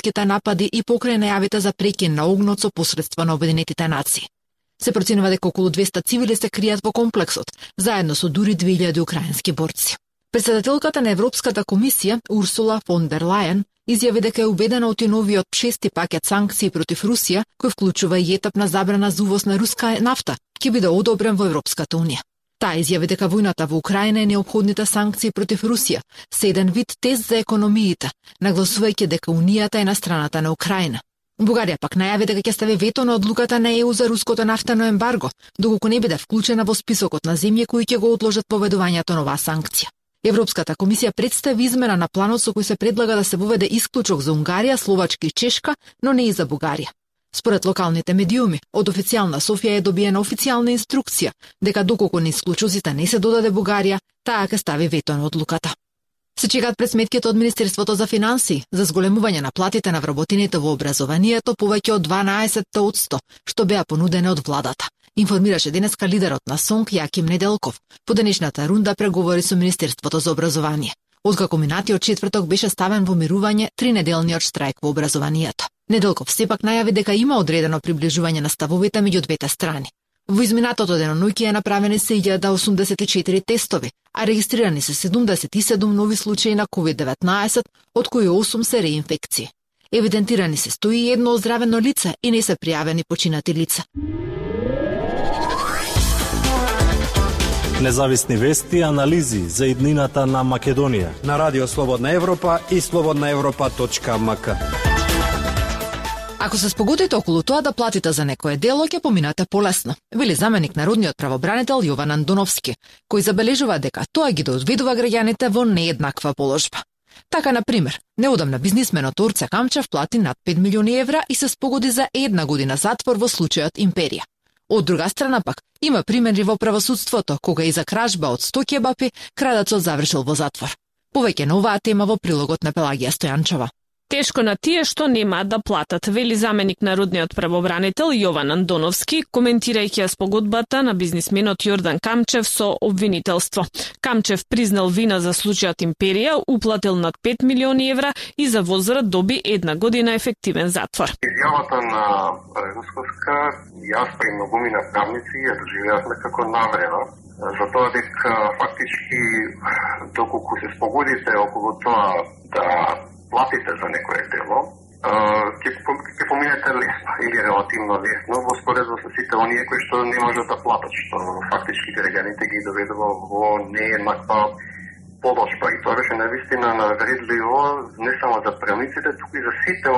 терористските напади и покрај најавите за прекин на огнот со посредство на Обединетите нации. Се проценува дека околу 200 цивили се кријат во комплексот, заедно со дури 2000 украински борци. Председателката на Европската комисија, Урсула фон дер Лајен, изјави дека е убедена од новиот 6-ти пакет санкции против Русија, кој вклучува и етапна забрана за увоз на руска нафта, ќе биде одобрен во Европската унија. Таа изјави дека војната во Украина и неопходните санкции против Русија се еден вид тест за економиите, нагласувајќи дека Унијата е на страната на Украина. Бугарија пак најави дека ќе стави вето на одлуката на ЕУ за руското нафтено ембарго, доколку не биде вклучена во списокот на земји кои ќе го одложат поведувањето на оваа санкција. Европската комисија представи измена на планот со кој се предлага да се воведе исклучок за Унгарија, Словачка и Чешка, но не и за Бугарија. Според локалните медиуми, од официјална Софија е добиена официјална инструкција дека доколку на исклучоците не се додаде Бугарија, таа ќе стави вето на одлуката. Се чекаат пред сметките од Министерството за финансии за зголемување на платите на вработените во образованието повеќе од 12%, што беа понудени од владата. Информираше денеска лидерот на СОНК Јаким Неделков по денешната рунда преговори со Министерството за образование. Откако минатиот четврток беше ставен во мирување 3-неделниот штрајк во образованието. Неделков сепак најави дека има одредено приближување на ставовите меѓу двете страни. Во изминатото деноноќе направени се 1084 тестови, а регистрирани се 77 нови случаи на COVID-19, од кои 8 се реинфекции. Евидентирани се 101 оздравено лице и не се пријавени починати лица. Независни вести и анализи за иднината на Македонија на Радио Слободна Европа и slobodnaevropa.mk. Ако се спогодите околу тоа да платите за некое дело, ќе поминате полесно, вели заменик народниот правобранител Јован Андоновски, кој забележува дека тоа ги доодведува граѓаните во нееднаква положба. Така, на пример, неодамна бизнисменот Орце Камчев плати над 5 милиони евра и се спогоди за 1 година затвор во случајот Империја. Од друга страна пак, има примери во правосудството, кога и за кражба од 100 кебапи, крадецот завршил во затвор. Повеќе на оваа тема во прилогот на Пелагија Стојанчова. Тешко на тие што немаат да платат, вели заменик народниот правобранител Јован Андоновски, коментирајќи спогодбата на бизнисменот Јордан Камчев со обвинителство. Камчев признал вина за случајот Империја, уплатил над 5 милиони евра и за возврат доби 1 година ефективен затвор. Изјавата на Русковска, јас и многумина правници ја доживеавме како навреда, за тоа дека фактички доколку се спогодите околу тоа да платите за некое дело, ќе поминете лесно или релативно лесно во споредба со сите оние кои што не можат да платат, што фактички граѓаните ги доведува во нееднаква положба. И тоа беше навистина навредливо не само за правниците, туку и за сите